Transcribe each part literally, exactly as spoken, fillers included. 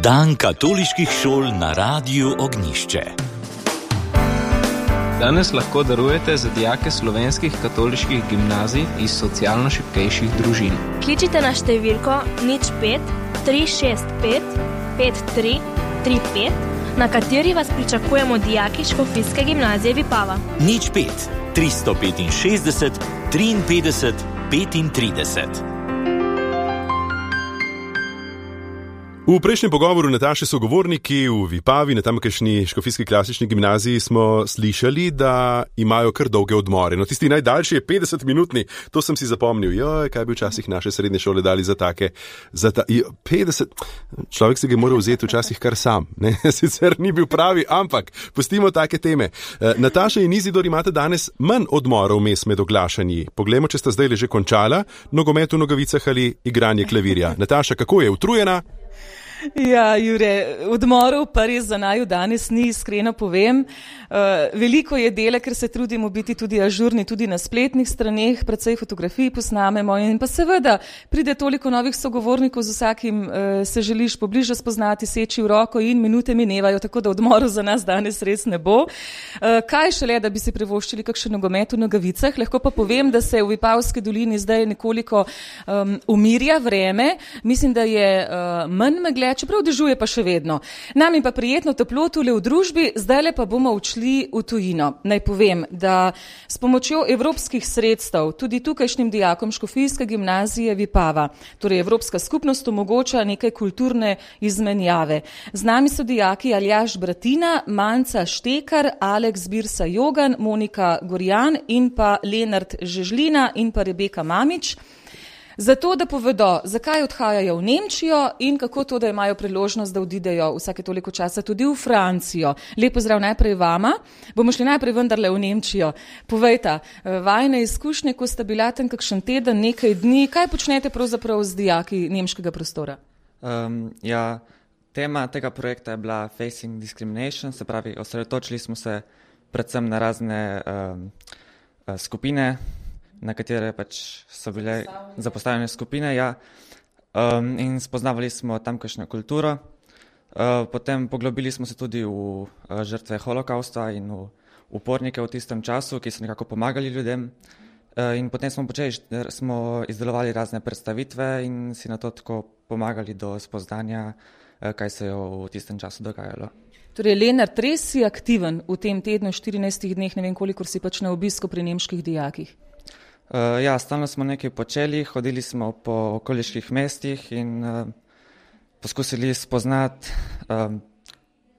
Dan katoliških šol na Radiu Ognjišče. Danes lahko darujete za dijake slovenskih katoliških gimnazij iz socialno šibkejših družin. Kličite na številko nič pet tri šest pet pet tri tri pet, na kateri vas pričakujemo dijaki Škofijske gimnazije Vipava. nič pet tristo petinšestdeset triinpetdeset petintrideset. V prejšnjem pogovoru Nataše sogovorniki v Vipavi na tamkajšnji Škofijski klasični gimnaziji smo slišali, da imajo kar dolge odmore. No, tisti najdaljši je petdeset minutni, to sem si zapomnil. Joj, kaj bi včasih naše srednje šole dali za take, za ta, jo, petdeset, človek se ga je moral vzeti včasih kar sam, ne, sicer ni bil pravi, ampak pustimo take teme. E, Nataša in Izidor imate danes manj odmorov vmes med oglašanji. Poglejmo, če sta zdaj že končala nogomet v nogavicah ali igranje klavirja. Nataša, kako je, utrujena? Ja, Jure, odmorov pa res za naju danes ni, iskreno povem. Uh, veliko je dela, ker se trudimo biti tudi ažurni, tudi na spletnih straneh, precej fotografij posnamemo in pa seveda pride toliko novih sogovornikov, z vsakim uh, se želiš pobliže spoznati, seči v roko in minute minevajo, tako da odmorov za nas danes res ne bo. Uh, kaj šele, da bi si privoščili kakšen nogomet v nogavicah, lahko pa povem, da se v Vipavski dolini zdaj nekoliko um, umirja vreme, mislim, da je uh, manj megle, čeprav dežuje pa še vedno. Nam je pa prijetno toplo tule v družbi, zdajle pa bomo odšli v tujino. Naj povem, da s pomočjo evropskih sredstev tudi tukajšnjim dijakom Škofijske gimnazije Vipava, torej Evropska skupnost omogoča nekaj kulturne izmenjave. Z nami so dijaki Aljaž Bratina, Manca Štekar, Aleks Birsa Jogan, Monika Gorjan in pa Lenart Žežlina in pa Rebeka Mamič. Zato, da povedo, zakaj odhajajo v Nemčijo in kako to, da imajo priložnost, da odidejo vsake toliko časa tudi v Francijo. Lep pozdrav najprej vama. Bomo šli najprej vendarle v Nemčijo. Povejta, vajne izkušnje, ko sta bila tam kakšen teden, nekaj dni, kaj počnete pravzaprav z dijaki nemškega prostora? Um, ja, tema tega projekta je bila Facing Discrimination, se pravi, osredotočili smo se predvsem na razne um, skupine, na katere pač so bile zapostavljene skupine, ja, um, in spoznavali smo tamkajšnjo kulturo. Uh, potem poglobili smo se tudi v uh, žrtve holokausta in v upornike v tistem času, ki so nekako pomagali ljudem. Uh, in potem smo počeli, smo izdelovali razne predstavitve in si na to tako pomagali do spoznanja, uh, kaj se je v tistem času dogajalo. Torej, Lenart, res si aktiven v tem tednu, štirinajstih dneh, ne vem kolikor si pač na obisku pri nemških dijakih. Uh, ja, stalno smo nekaj počeli, hodili smo po okoliških mestih in uh, poskusili spoznati, um,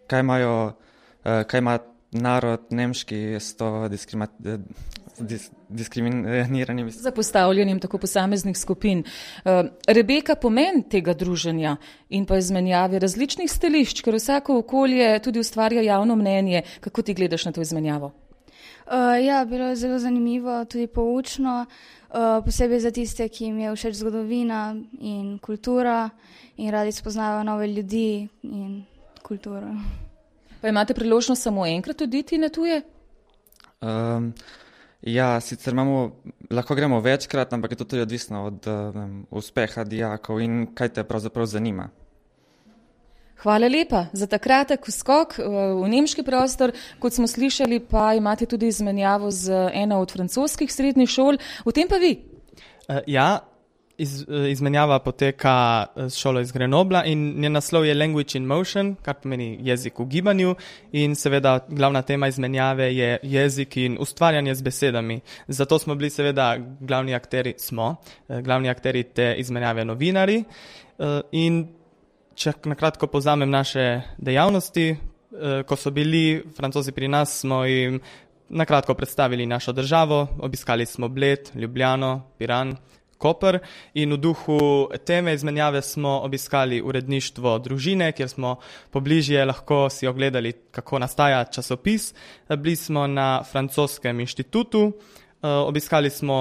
kaj imajo, uh, kaj ima narod nemški s to diskrima, dis, diskriminiranjem. Zapostavljanjem tako posameznih skupin. Uh, Rebeka, pomen tega druženja in pa izmenjave različnih stališč, ker vsako okolje tudi ustvarja javno mnenje. Kako ti gledaš na to izmenjavo? Uh, ja, bilo je zelo zanimivo, tudi poučno, uh, posebej za tiste, ki jim je všeč zgodovina in kultura in radi spoznavajo nove ljudi in kulturo. Pa imate priložnost samo enkrat oditi na tuje? Um, ja, sicer imamo, lahko gremo večkrat, ampak je to tudi odvisno od um, uspeha dijakov in kaj te pravzaprav zanima. Hvala lepa za ta kratek skok v nemški prostor. Kot smo slišali, pa imate tudi izmenjavo z eno od francoskih srednjih šol. V tem pa vi? Uh, ja, iz, izmenjava poteka s šolo iz Grenobla in njen naslov je Language in Motion, kar pomeni jezik v gibanju in seveda glavna tema izmenjave je jezik in ustvarjanje z besedami. Zato smo bili seveda glavni akteri, smo, glavni akteri te izmenjave novinari uh, in če nakratko povzamem naše dejavnosti, ko so bili Francozi pri nas, smo jim nakratko predstavili našo državo, obiskali smo Bled, Ljubljano, Piran, Koper in v duhu teme izmenjave smo obiskali uredništvo družine, kjer smo pobližje lahko si ogledali, kako nastaja časopis. Bili smo na francoskem inštitutu, obiskali smo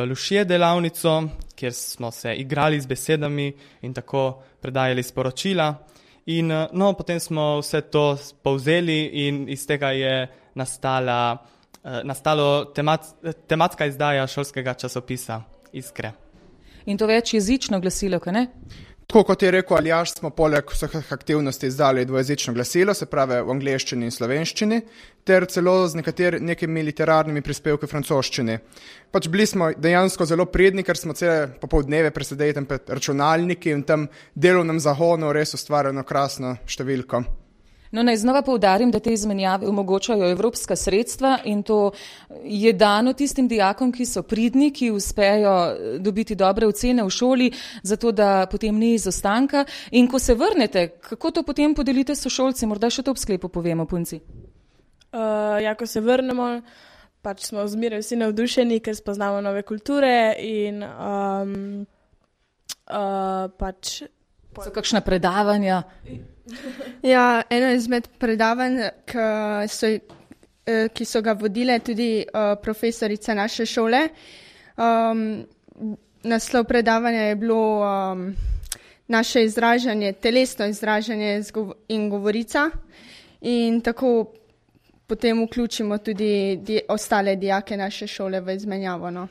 Lušje delavnico, kjer smo se igrali z besedami in tako predajali sporočila. In no, potem smo vse to povzeli in iz tega je nastala, nastalo temat, tematska izdaja šolskega časopisa Iskre. In to večjezično glasilo, kaj ne? Tako kot je rekel Aljaž, smo poleg vseh aktivnosti izdali dvojezično glasilo, se pravi v angleščini in slovenščini, ter celo z nekateri, nekimi literarnimi prispevki v francoščini. Pač bili smo dejansko zelo predni, ker smo cele popoldneve presedeli tam pred računalniki in tam delovnem zagonu res ustvarjeno krasno številko. No, naj znova poudarim, da te izmenjave omogočajo evropska sredstva in to je dano tistim dijakom, ki so pridni, ki uspejo dobiti dobre ocene v šoli, zato da potem ni izostanka. In ko se vrnete, kako to potem podelite s sošolci? Morda še to ob sklepu povemo, punci. Uh, ja, ko se vrnemo, pač smo zmeraj vsi navdušeni, ker spoznamo nove kulture in um, uh, pač... So kakšna predavanja? Ja, eno izmed predavanj, ki so, ki so ga vodile tudi uh, profesorice naše šole. Um, naslov predavanja je bilo um, naše izražanje, telesno izražanje in govorica. In tako potem vključimo tudi di- ostale dijake naše šole v izmenjavo. No.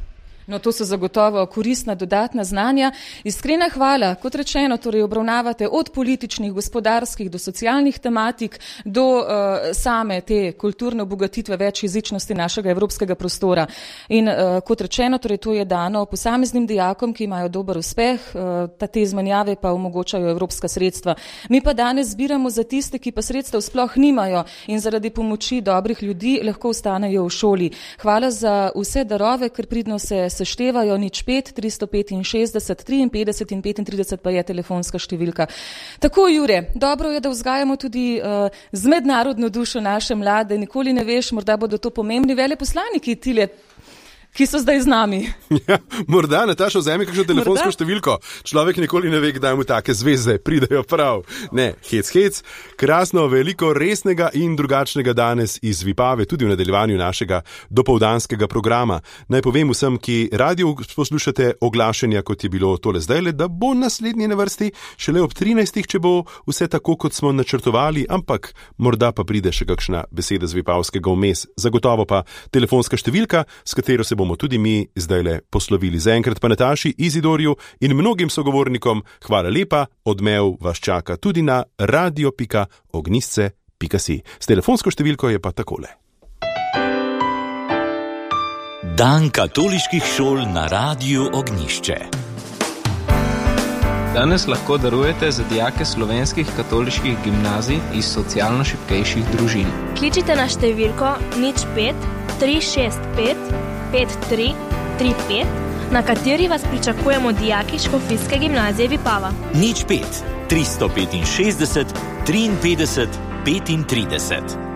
No, to so zagotovo koristna dodatna znanja. Iskrena hvala, kot rečeno, torej obravnavate od političnih, gospodarskih do socialnih tematik do uh, same te kulturne obogatitve večjezičnosti našega evropskega prostora. In uh, kot rečeno, torej to je dano posameznim dijakom, ki imajo dober uspeh, uh, te izmenjave pa omogočajo evropska sredstva. Mi pa danes zbiramo za tiste, ki pa sredstev sploh nimajo in zaradi pomoči dobrih ljudi lahko ostanejo v šoli. Hvala za vse darove, ker pridno se seštevajo, nič pet, tristo petinšestdeset, triinpetdeset in petintrideset pa je telefonska številka. Tako, Jure, dobro je, da vzgajamo tudi uh, z mednarodno dušo naše mlade, nikoli ne veš, morda bodo to pomembni veleposlaniki tile, ki so zdaj z nami. Ja, morda, Nataša, vzemi kakšno telefonsko morda? Številko. Človek nikoli ne ve, kdaj mu take zvezde pridejo prav. Ne, hec, hec. Krasno, veliko resnega in drugačnega danes iz Vipave, tudi v nadaljevanju našega dopoldanskega programa. Naj povem vsem, ki radio poslušate oglašenja, kot je bilo tole zdajle, da bo naslednji na vrsti šele ob trinajstih, če bo vse tako, kot smo načrtovali, ampak morda pa pride še kakšna beseda z vipavskega vmes. Zagotovo pa telefonska številka, s katero se bomo tudi mi zdajle poslovili. Zaenkrat pa Nataši, Izidorju in mnogim sogovornikom hvala lepa, odmev vas čaka tudi na radio pika ognjišče pika si. S telefonsko številko je pa takole. Dan katoliških šol na Radiu Ognjišče. Danes lahko darujete za dijake slovenskih katoliških gimnazij iz socialno šibkejših družin. Kličite na številko nič pet, tri šest pet, pet tri tri pet, na kateri vas pričakujemo dijaki Škofijske gimnazije Vipava. Nič pet, tristo petinšestdeset, triinpetdeset, petintrideset.